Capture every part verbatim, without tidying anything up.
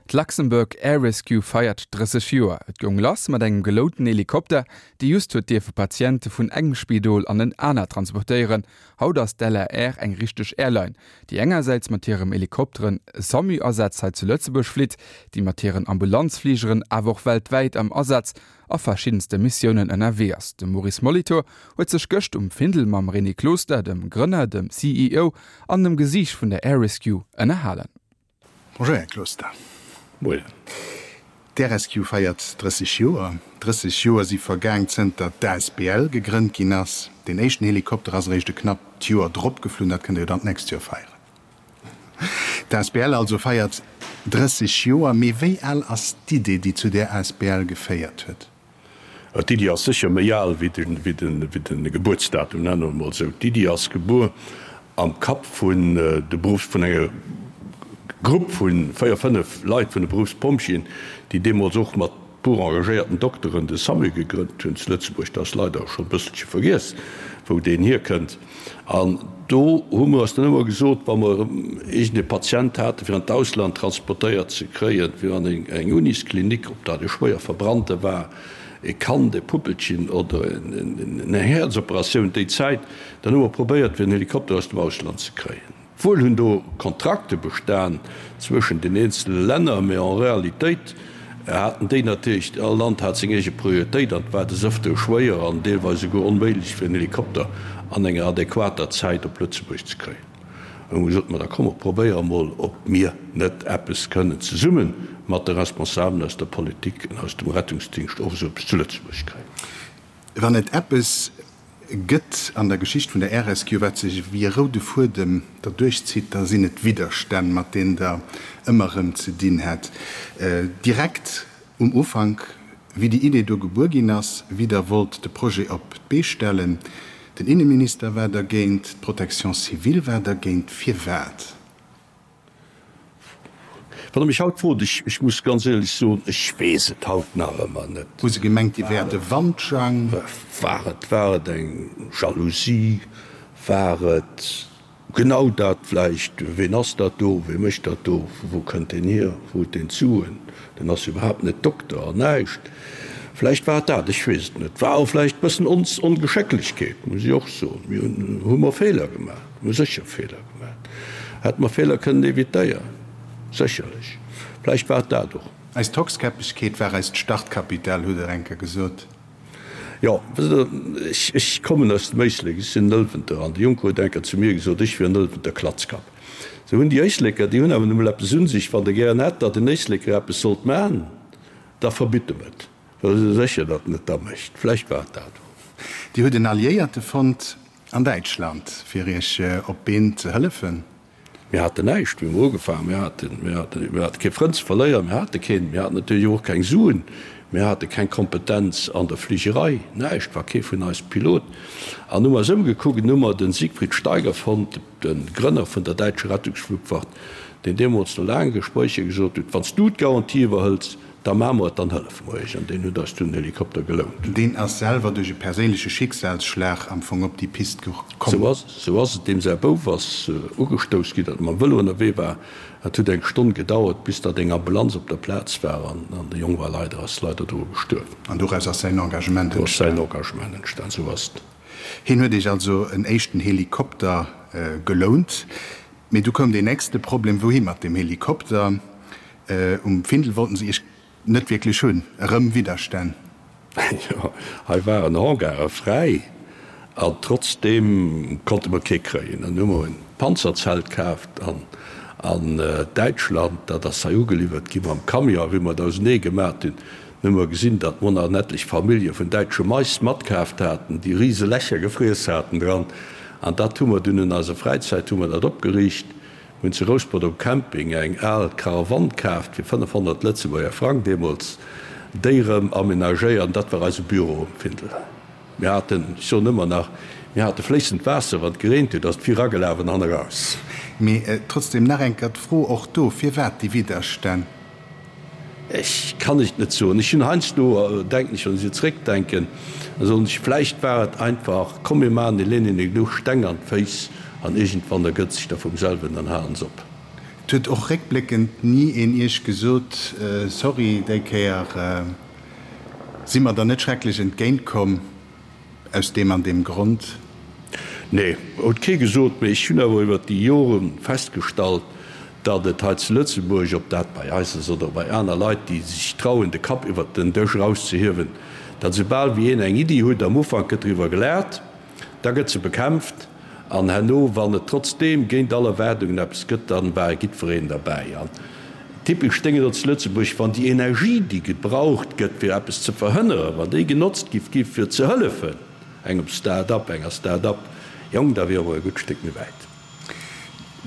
D'Luxembourg Air Rescue feiert drësseg Joer. Et goung lass mat engem gelounten Helikopter, dee just huet dierfe Patiente vun engem Spidol an en anert transportéieren. Haut ass d'LAR eng richteg Airline, déi engersäits mat hirem Helikopteren SAMU-Asätz hei zu Lëtzebuerg flitt, déi mat hiren Ambulanzfligeren awer och weltwäit am Asaz a verschiddenste Missiounen ënnerwee ass. De Maurice Molitor huet sech gëscht um Findel mam René Closter, dem Grënner, dem C E O an dem Gesiicht vun der Air Rescue ënnerhalen. Bonjour, Här Closter. Moien. D'Air Rescue feiert drësseg Joer. drësseg Joer si vergaang zënter d'A S B L gegrënnt ginn ass. Den éischten Helikopter ass eréischt e knappt Joer drop geflunn, dat kënnt Dir jo dann d'nächst Joer feieren. D'A S B L also feiert drësseg Joer, mee wéi al ass d'Idee, déi zu där A S B L geféiert huet? D'Iddi ass sécher méi al wéi de, wéi de, wéi de Gebuertsdatum, nenne mer emol esou. D'Iddi ass gebuer am Kapp vun de Beruffs, vun enger Grupp vu véier, fënnef Leit vun de Beruffspompjeeën, déi deemools och mat puer engagéierten Dokteren de SAMU gegrënnt hunn zu Lëtzebuerg. Dat ass leider scho e bësselche vergiess, wou deen hierkënnt. An do hu mer eis dann ëmmer gesot, wa mer iergend e Patient haten, fir an d'Ausland transportéiert ze kréien, fir an eng Unisklinik, ob dat e schwéier Verbrannte war, e Kand, e Puppelchen oder eng Häerzoperatioun déi Zäit, dann hu mer probéiert, fir en Helikopter aus dem Ausland ze kréien. Wuel hunn do Kontrakte bestan zwëschen den eenzele Länner, mä en Realitéit haten déi natierlech, all Land hat seng eege Prioritéit an et war des Ëftere schwéier an deelweis esouguer onméiglech, fir en Helikopter an enger adequater Zäit op Lëtzebuerg ze kréien. Hu mer gesot, ma da komm mer probéiere mol, ob mir net eppes kënnen zesumme mat de Responsabelen aus der Politik an aus dem Rettungsdingscht och esou eppes zu Lëtzebuerg kréien. Wann et eppes gëtt an der Geschicht vun der Air Rescue, wat sech wéi e roude Fuedem derduerch zitt, da sinn et d'Widderstänn, mat deenen Der ëmmer erëm ze dinn hat. Direkt um Ufank, wéi déi Idee do gebuer ginn ass, wéi Der wollt de Projet op d'Bee stellen, den Inneminister war dergéint, d'Protection civile war dergéint. Firwat? Wann Der mech haut frot, ech, ech muss ganz éierlech soen, ech weess et haut nach ëmmer net. Hu se gemengt, Dir wäert e Wandjang? War et, war et eng Jalousie? War et genau dat vläicht, ween ass dat do, wee mécht dat do, vu wou kënnt deen hier, wou huet deen d'Suen, deen ass jo iwwerhaapt net Dokter an näischt. Vläicht war et dat, ech weess et net. War och vläicht e bëssen ons Ongeschécklechkeet, muss ech och soen. Mir hunn, hu mer Feeler gemaach, mir hu sécher Feeler gemaach. Hätte mer Feeler kënnen evitéieren? Sécherlech. Vläicht war et dat och. Eis Tockskäppegkeet war eist Startkapital, hutt Der eng Kéier gesot. Jo, wësst Der, ech, ech kommen aus dem Éislek, ech sinn en Ëlwenter, an de Juncker huet eng Kéier zu mir gesot, ech wier en Ëlwenter Klatzkapp. Sou hunn déi Éisleker, déi hunn awer nu mol eppes un sech, wann der gären hätt, datt en Éisleker eppes sollt maachen, da verbitt em et, well se sécher, datt en et da mécht. Vläicht war et dat och. Dir hutt en Alliéierte fonnt an Däitschland, fir Iech op d'Been ze hëllefen. Mir haten näischt, wéi mer ugefaangen. Mir haten, mir haten, mir hate kee Frënd ze verléieren, mir hate keen, mir haten natierlech och keng Suen, mir hate keng Kompetenz an der Fligerei, näischt, war kee vun eis Pilot. An hu mer eis ëmgekuckt an hu mer de Siegfried Steiger fonnt, de Grënner vun der däitsche Rettungsflugwacht, deen deemools no laange Gespréicher gesot huet, Wann s du d'Garantie iwwerhëls, da maache mer et, dann hëllefe mer iech. An deen huet eis dunn en Helikopter gelount. Deen ass selwer duerch e perséinleche Schicksalsschlag am Fong op déi Pist gekomm. Sou ass, sou ass et. Deem säi Bouf ass ugestouss ginn, datt e mam Vëlo ënnerwee war. Et huet eng Stonn gedauert, bis datt eng Ambulanz op der Plaz war an de Jong war leider, ass leider doru gestuerwen. An doraus ass säin Engagement Do ass säin entstan. Engagement entstan, sou ass et. Hien huet iech also en éischten Helikopter gelount. Mee du koum deen nächste Problem, Wouhi mat deem Helikopter? Um Findel wollten se iech net wierklech hunn. Erëm Widderstänn. Jo, hei waren Hangare fräi an trotzdeem konnte mer kee kréien. Dann hu mer en Panzerzelt kaaft an an Däitschland. Dat ass hei ugeliwwert gi mam Camion. Wéi mer et ausenee gemat hunn, hu mer gesinn, datt mer nach en etlech Famillje vun däitsche Mais matkaaft haten, déi rise Lächer gefriess haten dran. An dat hu mer dunn an eiser Fräizäit hu mer dat opgeriicht. Mir hunn zu Rouspert um Camping eng al Caravanne kaaft fir fënnefhonnert Lëtzebuerger Frang deemools, déi erëm amenagéiert an dat war eise Büro um Findel. Mir haten, ech soen ëmmer nach, mir hate fléissend Waasser, wann et gereent huet, ass et vir eragelaf an han eraus. Mee trotzdem nach eng Kéier d'Fro och do, Firwat déi Widderstänn? Ech kann et net soen. Ech hunn heiansdo, denken ech, wann ech esou zréckdenken, da soen ech, vläicht war et einfach, komm mir maachen de Lenin genuch Steng an d'Féiss an iergendwann ergëtt sech da vum selwen, dann halen se op. Et huet och réckbléckend ni een Iech gesot, Sorry, déi Kéier si mer der net schrecklech entgéint komm, aus deem an deem Grond? Nee, huet kee gesot. Mee ech hunn awer iwwert déi Jore festgestallt, datt et hei zu Lëtzebuerg, ob dat bei eis ass oder bei aner Leit, déi sech trauen, de Kapp iwwert den Dësch erauszehiewen, datt esoubal wéi een eng Iddi huet, am Ufank gëtt driwwer gelaacht, da gëtt se bekämpft, An herno, wann et trotzdeem géint all Erwaardungen eppes gëtt, dann war jiddwereen derbäi. An typesch Déngen do zu Lëtzebuerg, wann déi Energie, déi gebraucht gëtt, fir eppes ze verhënneren, wann déi genotzt giff gi fir ze hëllefen engem Start-up, enger Start-up, jong, da wiere mer e gutt Stéck méi wäit.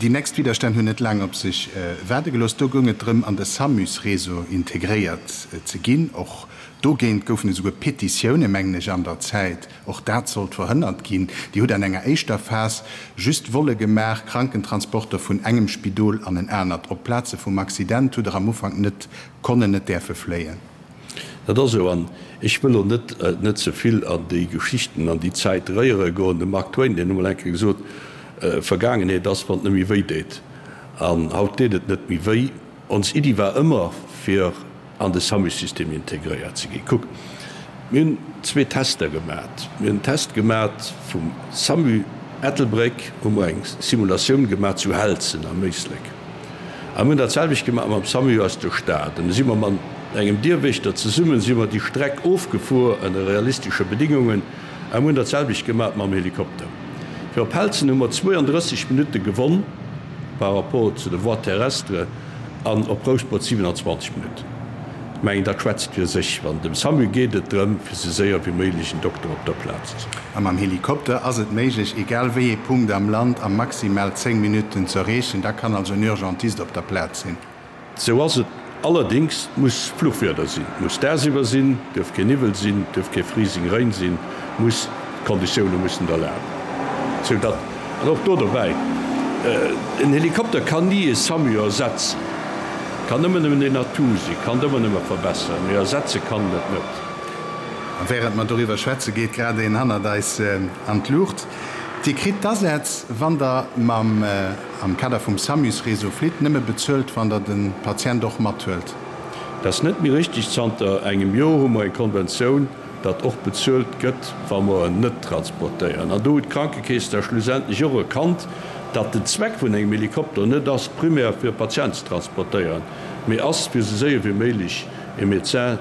Déi nächst Widderstänn hunn net laang op sech waarde gelooss. Do goung et drëm, an de SAMUS-Réseau integréiert ze ginn. Och dogéint goufen esouguer Petitioune, mengen ech, an der Zäit. Och dat sollt verhënnert ginn. Dir hutt an enger éischter Phas just Volle gemaach, Krankentransporter vun engem Spidol an en anert. Op d'Plaze vum Accident hutt Der am Ufank net konnen, net däerfe fléien. Dat ass esou. An ech wëll elo net net ze vill an déi Geschichten, an déi Zäit réiere goen. De Mark Twain, deen huet emol eng Kéier gesot, Vergaangenheet ass, wann et net méi wéi deet. An haut deet et net méi wéi. Ons Iddi war ëmmer, fir an de SAMU-System integréiert ze ginn. Kuck, mir hunn zwee Tester gemat. Mir hunn en Test gemat vum SAMU Ettelbréck, hu mer eng Simulatioun gemat zu Helzen am Éislek. A mir hunn dat selwecht gemat mam SAMU aus der Stad. An du si mer mat engem Dierwächter zesummen, si mer déi Streck ofgefuer ënner realistesche Bedingungen. A mir hunn dat selwecht gemat mam Helikopter. Fir op Helzen hu mer zwouandrësseg Minutte gewonn par rapport zu de Voies terrestres an op Rouspert siwenanzwanzeg Minutten. Ech mengen, dat schwätzt fir sech. Wann dem SAMU geet et drëm, fir sou séier wéi méiglech en Dokter op der Plaz ze hunn. A mam Helikopter ass et méiglech, egal wéi ee Punkt am Land a maximal zéng Minutten z'erreechen. Da kann also en Urgentist op der Plaz sinn. Sou ass et. Allerdings, et muss Fluchwieder sinn, et muss dagsiwwer sinn, et duerf keen Niwwel sinn, et duerf kee Freezing Rain sinn, muss, d'Konditioune mussen et erlaben. Sou datt, an och do dobäi, en Helikopter kann ni e SAMU ersetzen, kann ëmmer nëmmen en Atout sinn, kann et ëmmer nëmme verbesseren, mee ersetze kann en et net. A während mer doriwwer schwätze geet grad een hannert eis an d'Luucht. Dir kritt d'Asätz, wann der mam, am Kader vum SAMUS-Réseau flitt, nëmme bezuelt, wann der de Patient och mathuelt. Dat ass net méi richtig. Zanter engem Joer hu mer eng Konventioun, datt och bezuelt gëtt, wa mer en net transportéieren. An do huet d'Krankekeess da schlussendlech och erkannt, datt den Zweck vun engem Helikopter net ass, primär fir e Patient ze transportéieren, mee ass, fir esou séier wéi méiglech e Médecin,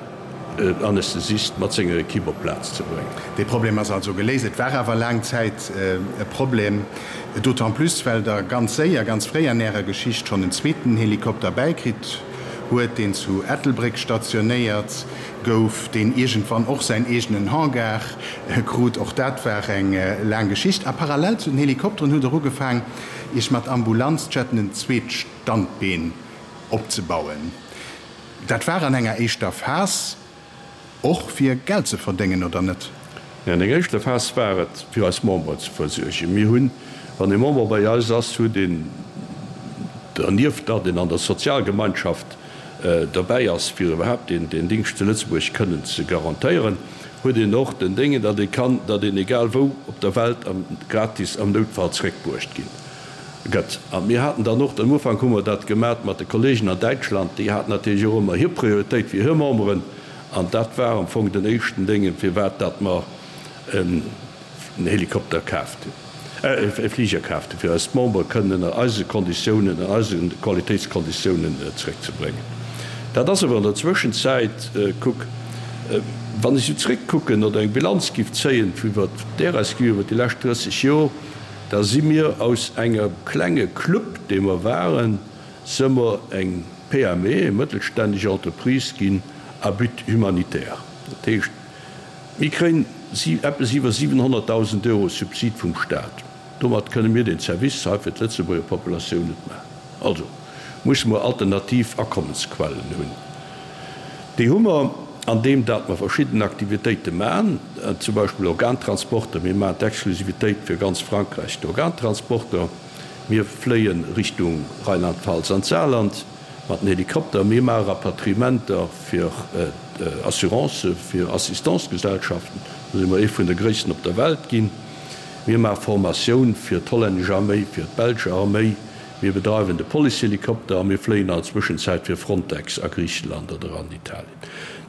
Anästhesist mat senger Equipe op d'Plaz ze bréngen. Dee Problem ass also geléist. Et war awer laang Zäit e Problem, d'autant plus well Der ganz séier, ganz fréi an Ärer Geschicht schonn en zweeten Helikopter bäikritt huet, deen zu Ettelbréck stationéiert gouf, deen iergendwann och säin eegenen Hangar krut. Och dat war eng laang Geschicht. A parallel zu den Helikopteren hutt Der ugefaang, Iech mat Ambulanzjetten en zweet Standbeen opzebauen. Dat war an enger éischter Phas och fir Geld ze verdéngen, oder net? Nee, an enger éischter Phas war et fir eis Memberen ze versuergen. Mir hunn, wann ee Member bei eis ass, huet een dernieft, datt een an der Sozialgemeinschaft derbäi ass, fir iwwerhaapt deen Dingscht zu Lëtzebuerg kënnen ze garantéieren, huet een och den Déngen, datt ee kann, datt een egal wou op der Welt gratis am Noutfall zréckbruecht ginn. Gëtt. A mir haten dann och, am Ufank hu mer dat gemat mat de Kollegen an Däitschland, déi haten natierlech och ëmmer hir Prioritéit fir hir Memberen, an dat war am Fong den éischten Déngen, firwat datt mer en Helikopter kaaft hunn, e Fliger kaaft hunn, fir eis Membere kënnen ënner eise Konditiounen, ënner eise Qualitéitskonditiounen zréckzebréngen. Dat ass awer an der Zwëschenzäit, kuck, wann ech esou zréckkucken oder eng Bilanz giff zéien iwwert d'RSQ iwwert déi lescht drësseg Jor, Da si mir aus engem klenge Club, dee mer waren, se mer eng P M E, eng mëttelstänneg Entreprise ginn à but humanitaire. Dat heescht, mir kréien eppes iwwer siwenhonnertdausend Euro Subsid vum Stat. Domat kënne mir deen Service hei fir d'Lëtzebuerger Populatioun net maachen. Also musse mer alternativ Akommensquellen hunn. Déi hu mer, andeem dat mer verschidden Aktivitéite maachen, zum Beispill Organtransporter. Mir maachen d'Exklusivitéit fir ganz Frankräich, d'Organtransporter. Mir fléie Richtung Rheinland-Pfalz an d'Saarland mat den Helikopter. Mir maache Rapatriementer fir Assurancë fir Assistance-Gesellschaften. Do si mer ee vun de gréissten op der Welt ginn. Mir maache Formatioun fir d'hollännesch Arméi, fir d'belsch Arméi. mir bedreiwen de Policehelikopter a mir fléien an der Zwëschenzäit fir Frontex a Griicheland oder an Italien.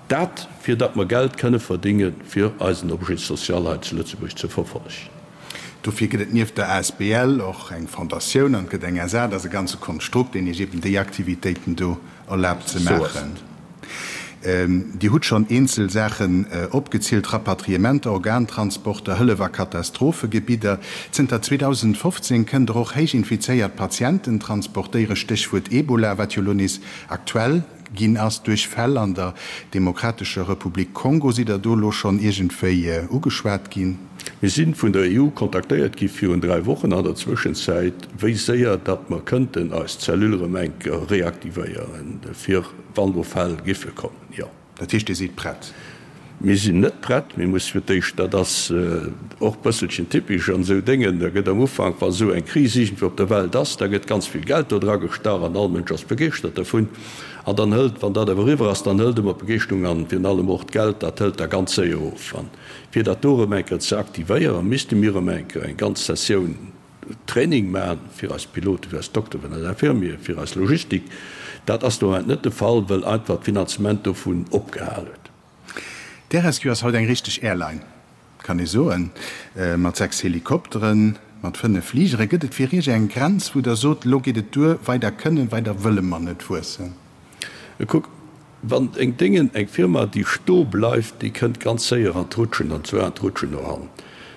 Dat, fir datt mer Geld kënne verdéngen, fir eisen Objet social hei zu Lëtzebuerg ze verfollegen. Dofir gëtt et nieft der asbl och eng Fondatioun an et gëtt eng SA. Dat ass e ganze Konstrukt, deen Iech eben déi Aktivitéiten do erlaabt ze maachen. Dir hutt schonn eenzel Saachen opgezielt, Rapatriementer, Organtransporter, Hëllef a Katastrophegebidder. Zënter zweedausendfofzéng kënnt Der och héich infizéiert Patienten transportéieren, Stéchwuert Ebola, wat jo elo nees aktuell ginn ass duerch Fäll an der Demokratescher Republik Kongo. Sidd Der do elo schonn iergendwéi ugeschwat ginn? Mir si vun der E U kontaktéiert gi virun dräi Wochen an der Zwëschenzäit, wéi séier datt mer kënnten eis Cellule erëm eng Kéier reaktivéieren, fir wann do Fäll giffe kommen. Jo. Dat heescht, Dir sidd prett? Mir sinn net prett. Mir musse fir d'éischt, dat ass och e bësselchen typesch an esou Déngen, da gëtt am Ufank, wa esou eng Kris iergendwou op der Welt ass, da gëtt ganz vill Geld do dra gestach an all Mënsch ass begeeschtert dervun. An dann hëlt, wann dat awer eriwwer ass, dann hëlt ëmmer d'Begeeschterung an virun allem och d'Geld, dat hëlt da ganz séier of. An fir dat do erëm eng Kéier ze aktivéieren, misste mir erëm eng Kéier eng ganz Sessioun Training maachen, fir eis Piloten, fir eis Dokteren, fir eis Infirmieren, fir eis Logistik. Dat ass de Moment net de Fall, wëll einfach d'Finanzement dovun opgehal huet. D'Air Rescue ass haut eng richteg Airline, kann ee soen, mat sechs Helikopteren, mat fënnef Fligere. Gëtt et fir Iech eng Grenz, wou Der sot, elo geet et duer, weider kënnen, weider wëlle mer net wuessen? Kuck, wann eng Déngen, eng Firma, déi stoe bleift, déi kënnt ganz séier an d'Rutschen, an zwar an d'Rutschen no hannen.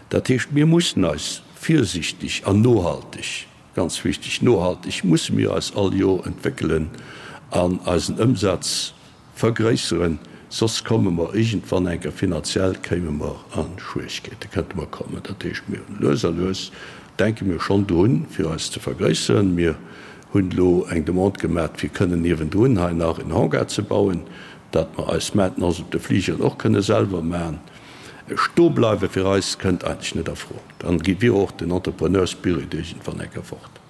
Dat heescht, mir mussen eis virsiichteg an nohalteg, ganz wichteg, nohalteg musse mir eis all Jor entwéckelen an eisen Ëmsaz vergréisseren, soss komme mer iergendwann eng Kéier finanziell kéime mer a Schwieregkeete, kënnte mer kommen. Dat heescht, mir hunn lues a lues, denke mir schonn drun, fir eis ze vergréisseren. Mir hunn elo eng Demande gemaat, fir kënnen niewendrun hei nach en Hangar ze bauen, datt mer eis Maintenance op de Fligeren och kënne selwer maachen. Stoebleiwe fir eis kënnt eigentlech net a Fro. Dann wier och den Entrepreneur-Spirit iergendwann eng Kéier fort.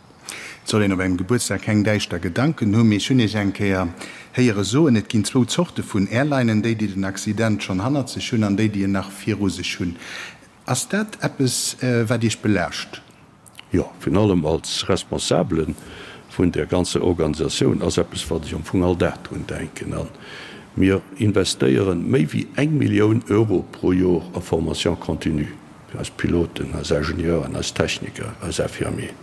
Et soll een op engem Gebuertsdag keng däischter Gedanken hunn, mee ech hunn Iech eng Kéier héiere soen, et ginn zwou Zorte vun Airlinen, déi, déi den Accident schonn hannert sech hunn an déi, déi en nach viru sech hunn. Ass dat eppes, wat Iech belaascht? Jo, virun allem als Responsabele vun där ganzer Organisatioun ass eppes, wat ech am Fong all Dag drun denken. A mir investéiere méi wéi eng Millioun Euro pro Jor a Formation continue fir eis Piloten, eis Ingenieuren, eis Techniker, eis Infirmieren.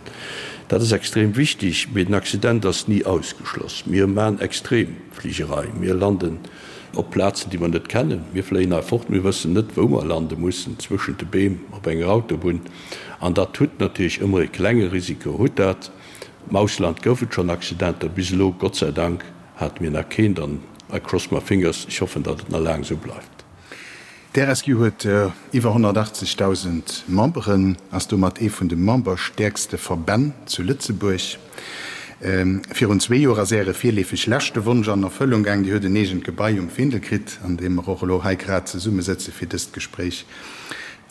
Dat ass extrem wichtig, mee den Accident ass ni ausgeschloss. Mir maachen Extremfligerei. Mir landen op Plazen, déi mer net kennen. Mir fléien hei fort, mir wëssen net, wou mer lande mussen, zwëschent de Beem op enger Autobunn. An dat hutt natierlech ëmmer e klenge Risiko, hutt dat. Am Ausland gouf et schonn Accidenter, bis elo, Gott sei Dank, hate mir nach keent. An I cross my fingers, ech hoffen, datt et nach laang esou bleift. D'Air Rescue huet iwwer honnertachtzegdausend Memberen, ass domat ee vun de memberstäerkste Verbänn zu Lëtzebuerg. Virun zwee Joer ass Äre virleefeg leschte Wonsch an Erfëllung gaang, Dir hutt en eegent Gebai um Findel kritt, an deem mer och elo hei grad zesummesëtze fir dëst Gespréich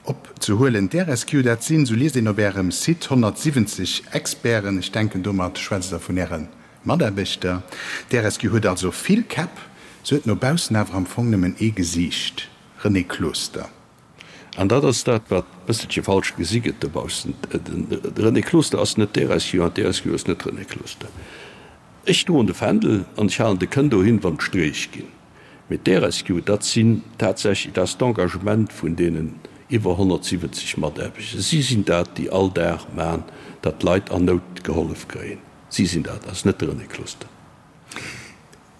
opzehuelen. D'Air Rescue, dat sinn, sou liest een op Ärem Site, honnertsiwwenzeg Experten. Ech denken, domat schwätzt Der vun Äre Mataarbechter. D'Air Rescue huet also vill Käpp, se huet no baussen awer am Fong nëmmen ee Gesiicht. René Closter. An dat ass dat, wat e bësselche falsch gesi gëtt dobaussen. De René Closter ass net d'Air Rescue an d'Air Rescue ass net René Closter. Ech droen de Fändel an ech halen de Kënn dohin, wann d'Streech ginn. Mee d'Air Rescue, dat sinn tatsächlech, dat ass d'Engagement vun deenen iwwer honnertsiwwenzeg Mataarbechter. Si sinn dat, déi all Dag maachen, datt d'Leit an Nout gehollef kréien. Si sinn dat, dat ass net de René Closter.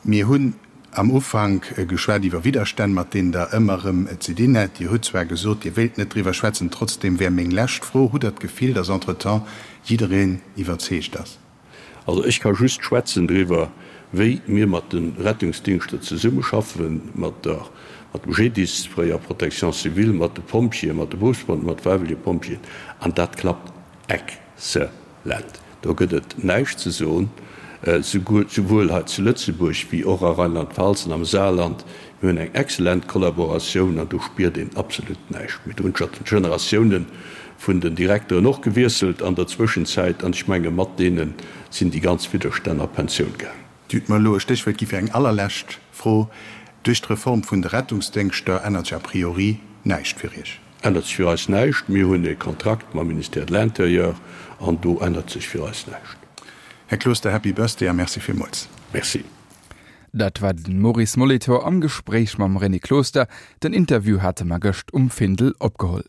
Mir hunn am Ufank geschwat iwwer Widderstänn, mat deenen Der ëmmer erëm ze dinn hätt. Dir hutt zwar gesot, Dir wéilt net driwwer schwätzen, trotzdeem wär meng lescht Fro, Hutt Der d'Gefill, datt entretemps jiddereen iwwerzeegt ass? Also ech ka just schwätzen driwwer, wéi mir mat de Rettungsdingschter zesummeschaffen, mat der, mat dem G D I S, fréier Protection civile, mat de Pompjeeën, mat de Berufspompjeeën, mat de fräiwëllege Pompjeeën, an dat klappt exzellent. Do gëtt et näischt ze soen, souwuel hei zu Lëtzebuerg wéi och a Rheinland-Pfalz an am Saarland. Mir hunn eng exzellent Kollaboratioun an do spiert een absolut näischt méi. Do hunn scho d'Generatiounen vun den Direkteren och gewiesselt an der Zwëschenzäit an ech menge mat deene sinn déi ganz Widderstänn a Pensioun gaangen. Dir hutt mer elo e Stéchwuert gi fir eng allerlescht Fro. Duerch d'Reform vun de Rettungsdéngschter ännert sech a priori näischt fir Iech? Ännert sech fir eis näischt. Mir hunn e Kontrakt mam Ministère de l'Intérieur an do ännert sech fir eis näischt. Här Closter, Happy Birthday a Merci villmools. Merci. Dat war den Maurice Molitor am Gespréich mam René Closter. Den Interview hate mer gëscht um Findel opgeholl.